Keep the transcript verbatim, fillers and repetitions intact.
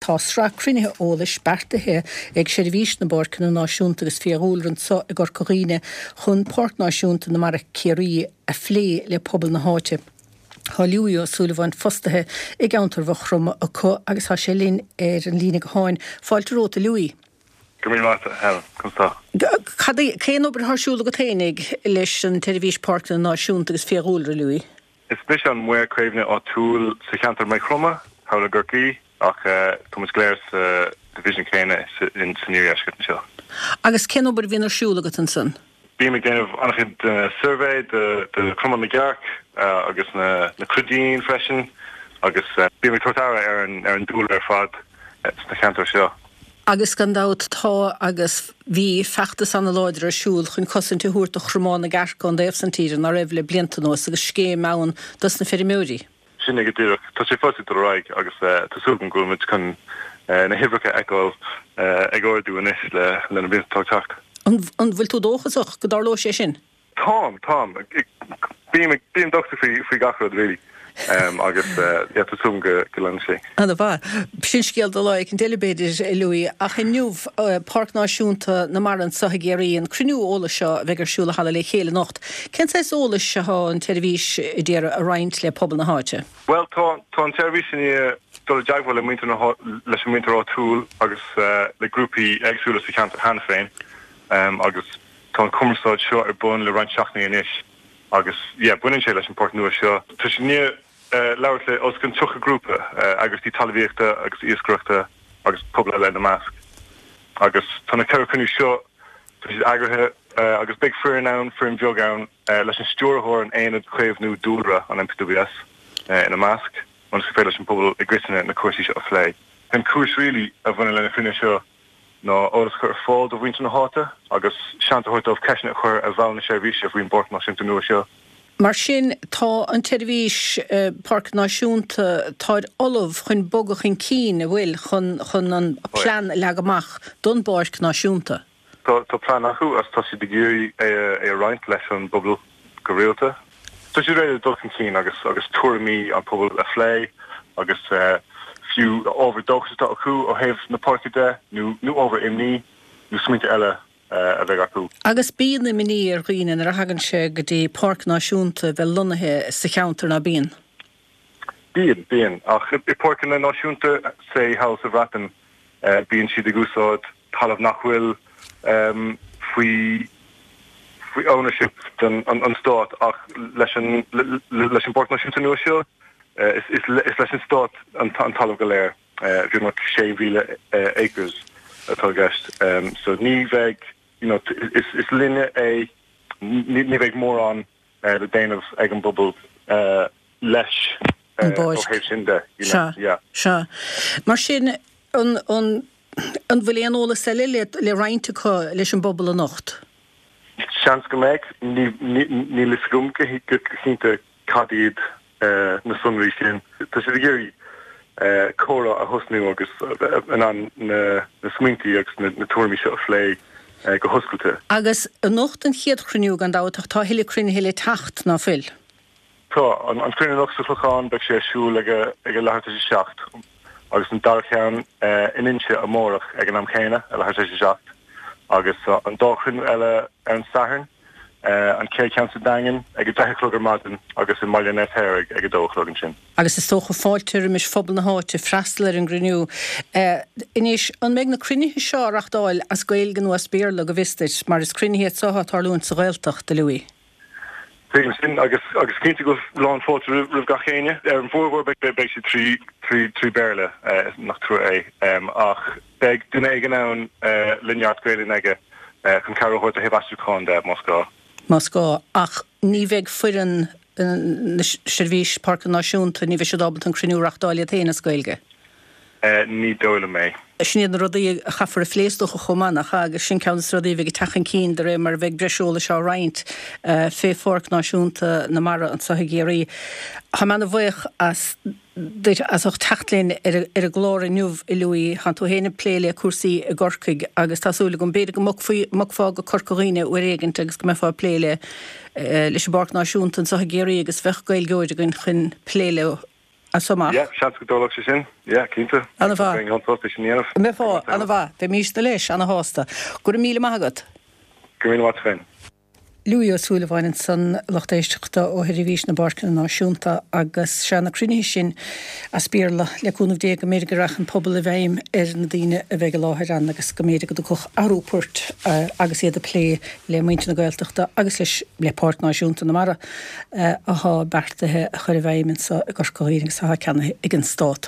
Tá sraith cruinnithe eolais beartaithe ag Seirbhís na bPáirceanna Náisiúnta agus Fiadhúlra anseo i gCorca Dhuibhne chun Páirc Náisiúnta na Mara Ciarraí a phlé le pobal na háite. Tá Louis Ó Súilleabháin fostaithe i gceantar Mhaigh Chromtha acu agus tá sé linn ar an líne gutháin. Fáilte romhat, a Louis. Go raibh míle maith, Helen. Conas tá? Cad é, cén obair atá ar siúl agat fhéinig leis an tSeirbhís Páirceanna Náisiúnta agus Fiadhúlra, Louis? Is mise an maor caomhnaithe áitiúil sa cheantar Maigh Chromtha, thall i gCorcaigh, ach tá muid go léir sa division céanna in san iardheisceart anseo. Agus cén obair a bhíonn ar siúl agat ansan? Bím ag déanamh an-chuid suirbhé de de chromán na gcearc agus na na cruidín freisin agus bím ag tabhairt aire ar an ar an dúlra ar fad sna ceantair seo. Agus gan dabht tá agus bhí feachtas an-láidir ar siúl chun cosaint a thabhairt do chromán na gcearc ón dtaobh san tíre ná raibh le blianta anuas agus scéim ann dos na feirmeoirí. Sin é go díreach. Tá sé fós ag dul ar aghaidh agus tá súil agam go bhfuil muid chun na huimhreacha a fheiceáil ag ardú anois le le na blianta atá ag teacht. An an bhfuil tú dóchasach go dtarlóidh sé sin? Táim, táim. Bím bím dóchasach faoi faoi gach rud really. Agus yeah tá súil agam go go leanfaidh sé. Ana mhaith. Sin scéal do lá éicint eile b'fhéidir, a Louis. Ach inniu, Páirc Náisiúnta na Mara anseo i gCiarraí, an cruinniú eolais seo a bheidh ar siúl i Halla Le Chéile anocht. Cén saghas eolais atá an tseirbhís ag iarraidh a roinnt le pobal na háite? Bhuel, tá tá an tseirbhís i ndiaidh dul i dteagmháil le muintir na leis an muintir áitiúil agus le grúpaí éagsúla sa cheantar cheana féin agus tá an cumarsáid seo ar bun le roinnt seachtainí anois. Agus yeah, baineann sé leis an bpáirc nua seo. Tá siad i ndiaidh labhairt le os cionn tríocha grúpa, eagraíochtaí talmhaíochta agus iascaireachta agus pobal eile ina measc. Agus tá na ceithre chruinniú seo, tá siad eagraithe agus beidh foireann ann, foireann bheag ann, leis an stiúrthóir an Aonad Caomhnú Dúlra, an NPWS, ina measc, ionas gur féidir leis an bpobal i gcoitinne na cúrsaí seo a phlé. An chúis really a bhaineann le na cruinnithe seo ná eolas a chur ar fáil do mhuintir na háite agus seans a thabhairt dóibh ceisteanna a chur ar bhaill na seirbhíse faoin bPáirc Náisiúnta nua seo. Mar sin, tá an tSeirbhís Páirc Náisiúnta, táid ullamh chun bogadh chun cinn, an bhfuil, chun chun an plean a leagadh amach don bPáirc Náisiúnta. Tá tá plean acu agus tá siad ag iarraidh é a é a roinnt leis an bpobal go rialta. Tá siad réidh le dul chun cinn agus agus tuairimí an pobail a phlé agus fiú ábhar dóchais atá acu ó thaobh na páirce de nó nó ábhar imní nó smaointe eile a bheidh acu. Agus bíonn imní ar dhaoine nuair a thagann sé go dtí páirc náisiúnta a bheith lonnaithe sa cheantar, ná bíonn? Bíonn, bíonn. Ach i bpáirceanna náisiúnta, say thall sa Bhreatain, bíonn siad ag úsáid talamh nach bhfuil faoi faoi ownership den an stát ach leis an leis an bPáirc Náisiúnta nua seo is is is leis an stát an an talamh go léir, beagnach sé mhíle acres atá i gceist. So ní bheidh you know is is linne é, ní ní bheidh mórán le déanamh ag an bpobal leis An ó bpáirc. thaobh sin de, you know, Sea, yeah. sea. Mar sin an an an bhfuil aon eolas eile le le roinnt acu leis an bpobal anocht? Seans go mbeidh. Ní ní níl fhios agam go go cinnte cad iad na sonraí sin. Tá siad ag iarraidh comhrá a thosnú agus in ann na na smaointe agus na na tuairimí seo a phlé go hoscailte. Agus anocht an chéad chruinniú gan dabht ach tá a thuilleadh cruinnithe le teacht, ná fuil? Tá. An an cruinniú anocht sa Chlochán beidh sé ar siúl ag a ag a leathuair tar éis a seacht agus an dara ceann in Inse amárach ag an am céanna, a leathuair tar éis a seacht agus an dá chruinniú eile ar an Satharn, an chéad cheann sa Daingean ag a deich a chlog ar maidin agus i mBaile an Fheirtéaraigh ag a dó a chlog ansin. Agus is dócha fáilte roimis phobal na háite freastal ar an gcruinniú. Anois, an mbeidh na cruinnithe seo á reachtáil as Gaeilge nó as Béarla, go bhfios duit, mar is cruinnithe iad seo atá ag tarlúint sa Ghaeltacht, a Louis? Tuigim sin agus agus cinnte go bhfuil lán fáilte roimh roimh gach éinne. Ar an bhformhór beidh beidh siad trí trí trí Béarla, nach trua é, ach beidh duine éigin ann le neart Gaelainn aige chun cabhair a thabhairt ó thaobh aistriúcháin de, más gá. Más gá, ach ní bheidh foireann na Seirbhís Páirceanna Náisiúnta, ní bheidh siad ábalta an cruinniú a reachtáil iad féin as Gaeilge. Ní dóigh liom é. Sin iad na rudaí a chaithfear a phlé is dócha chomh maith, nach ea? Agus sin ceann de na rudaí a bheidh ag teacht chun cinn de réir mar a bheidh breis eolais á roinnt fé Pháirc Náisiúnta na Mara anseo i gCiarraí. Tá mé ana-bhuíoch as duit as ucht teacht linn ar ar an gclár inniu, a Louis. Tá tú féin ag plé le cúrsaí i gCorcaigh agus tá súil agam b'fhéidir go mbogfaí mbogfá go Corca Dhuibhne uair éigint agus go mbeifeá ag plé le leis an bPáirc Náisiúnta anseo i gCiarraí agus bheadh Gaeilgeoir againn chun plé leo. As so amach. Yeah, seans go dtarlódh sé sin. Yeah, cinnte. An-mhaith. Bheinn an-sásta sin a dhéanamh. Mbeifeá, an-mhaith. Bheimísne leis, ana-shásta. Go raibh míle maith agat. Go raibh míle maith agat féin. Louis Ó Súilleabháin ansan, lucht éisteachta ó Sheirbhís na bPáirceanna Náisiúnta agus sea na cruinnithe sin as Béarla, le cúnamh Dé go mb'fhéidir go rachadh an pobal i bhfeidhm ar na daoine a bheidh i láthair ann agus go mb'fhéidir go dtiocfadh athrú poirt agus iad ag plé le muintir na Gaeltachta agus leis le Páirc Náisiúnta na Mara athá beartaithe a chur i bhfeidhm anso i gCorca Dhuibhne agus athá ceannaithe ag an Stát.